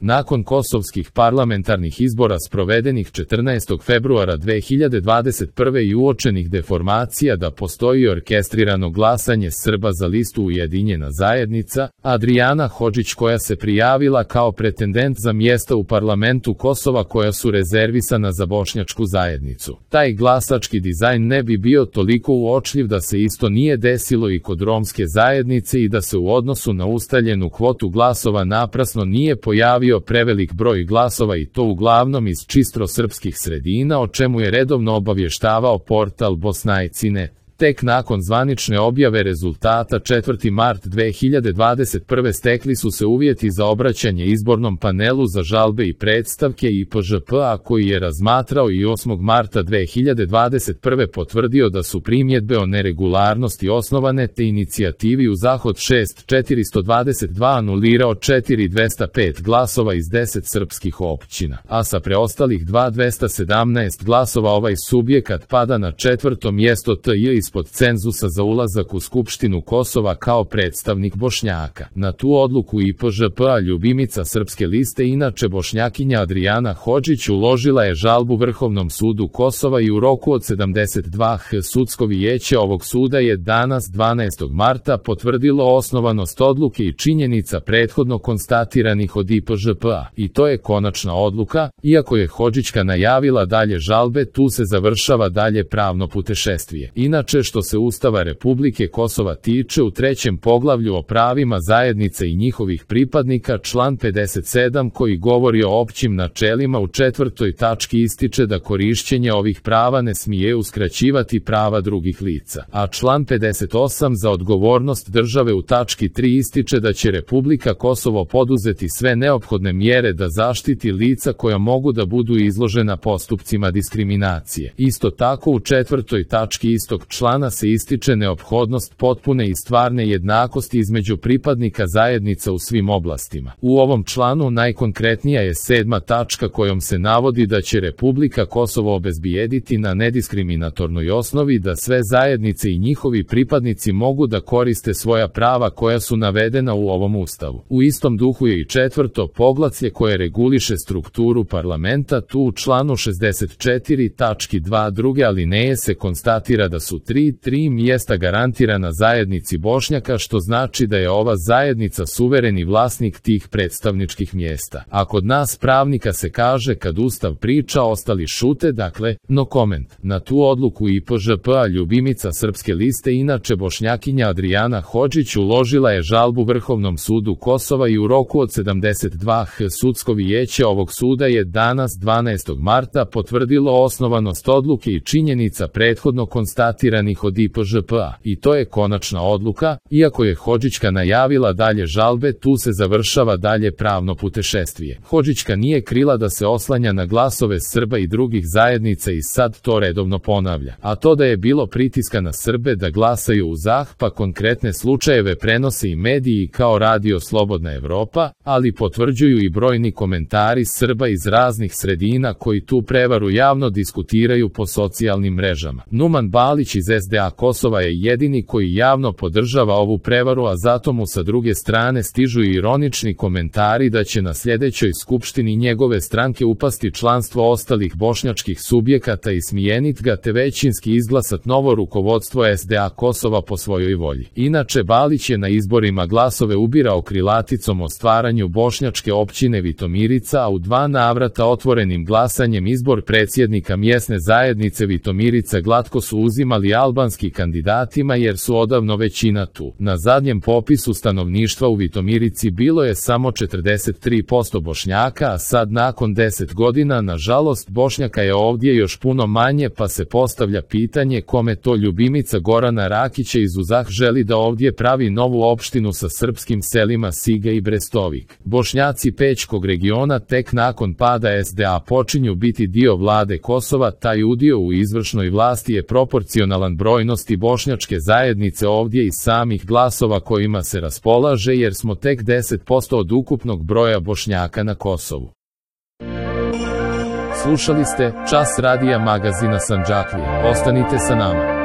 Nakon kosovskih parlamentarnih izbora sprovedenih 14. februara 2021. i uočenih deformacija da postoji orkestrirano glasanje Srba za listu Ujedinjena zajednica, Adrijana Hodžić koja se prijavila kao pretendent za mjesta u parlamentu Kosova koja su rezervisana za bošnjačku zajednicu. Taj glasački dizajn ne bi bio toliko uočljiv da se isto nije desilo i kod romske zajednice i da se u odnosu na ustaljenu kvotu glasova naprasno nije pojavio prevelik broj glasova i to uglavnom iz čisto srpskih sredina, o čemu je redovno obavještavao portal Bosnajci.net. Tek nakon zvanične objave rezultata 4. mart 2021. stekli su se uvjeti za obraćanje izbornom panelu za žalbe i predstavke IPŽP-a koji je razmatrao i 8. marta 2021. potvrdio da su primjedbe o neregularnosti osnovane te inicijativi u Zahod 6422 anulirao 4205 glasova iz 10 srpskih općina, a sa preostalih 2217 glasova ovaj subjekat pada na 4. mjesto TJ ispod cenzusa za ulazak u Skupštinu Kosova kao predstavnik Bošnjaka. Na tu odluku IPŽP-a ljubimica srpske liste, inače Bošnjakinja Adrijana Hodžić, uložila je žalbu Vrhovnom sudu Kosova i u roku od 72 sudsko vijeće ovog suda je danas 12. marta potvrdilo osnovanost odluke i činjenica prethodno konstatiranih od IPŽP-a. I to je konačna odluka, iako je Hodžićka najavila dalje žalbe, tu se završava dalje pravno putešestvije. Inače, što se Ustava Republike Kosova tiče, u 3. poglavlju o pravima zajednice i njihovih pripadnika član 57 koji govori o općim načelima u 4. tački ističe da korišćenje ovih prava ne smije uskraćivati prava drugih lica, a član 58 za odgovornost države u tački 3 ističe da će Republika Kosovo poduzeti sve neophodne mjere da zaštiti lica koja mogu da budu izložena postupcima diskriminacije. Isto tako u 4. tački istog člana se ističe neophodnost potpune i stvarne jednakosti između pripadnika zajednica u svim oblastima. U ovom članu najkonkretnija je 7. tačka kojom se navodi da će Republika Kosovo obezbijediti na nediskriminatornoj osnovi da sve zajednice i njihovi pripadnici mogu da koriste svoja prava koja su navedena u ovom Ustavu. U istom duhu je i 4. poglavlje koje reguliše strukturu parlamenta. Tu u članu 64 tački 2 druge alineje se konstatira da su 3 mjesta garantirana zajednici Bošnjaka, što znači da je ova zajednica suvereni vlasnik tih predstavničkih mjesta. A kod nas pravnika se kaže kad Ustav priča ostali šute, dakle, no comment. Na tu odluku IPŽP-a ljubimica srpske liste, inače Bošnjakinja Adrijana Hodžić, uložila je žalbu Vrhovnom sudu Kosova i u roku od 72 sudsko vijeće ovog suda je danas 12. marta potvrdilo osnovanost odluke i činjenica prethodno konstatiranih od IPŽP-a. I to je konačna odluka, iako je Hodžićka najavila dalje žalbe, tu se završava dalje pravno putešestvije. Hodžićka nije krila da se oslanja na glasove Srba i drugih zajednica i sad to redovno ponavlja. A to da je bilo pritiska na Srbe da glasaju u ZAH, pa konkretne slučajeve prenose i mediji kao Radio Slobodna Evropa, ali potvrđuju i brojni komentari Srba iz raznih sredina koji tu prevaru javno diskutiraju po socijalnim mrežama. Numan Balić iz SDA Kosova je jedini koji javno podržava ovu prevaru, a zato mu sa druge strane stižu i ironični komentari da će na sljedećoj skupštini njegove stranke upasti članstvo ostalih bošnjačkih subjekata i smijenit ga te većinski izglasat novo rukovodstvo SDA Kosova po svojoj volji. Inače, Balić je na izborima glasove ubirao krilaticom o stvaranju bošnjačke općine Vitomirica, a u 2 navrata otvorenim glasanjem izbor predsjednika mjesne zajednice Vitomirica glatko su uzimali albanski kandidatima jer su odavno većina tu. Na zadnjem popisu stanovništva u Vitomirici bilo je samo 43% Bošnjaka, a sad nakon 10 godina nažalost Bošnjaka je ovdje još puno manje, pa se postavlja pitanje kome to ljubimica Gorana Rakića iz UZAH želi da ovdje pravi novu opštinu sa srpskim selima Siga i Brestovik. Bošnjaci Pećkog regiona tek nakon pada SDA počinju biti dio vlade Kosova, taj udio u izvršnoj vlasti je proporcionalan brojnosti bošnjačke zajednice ovdje i samih glasova kojima se raspolaže, jer smo tek 10% od ukupnog broja Bošnjaka na Kosovu. Slušali ste Čas radija magazina Sandžaklija. Ostanite sa nama.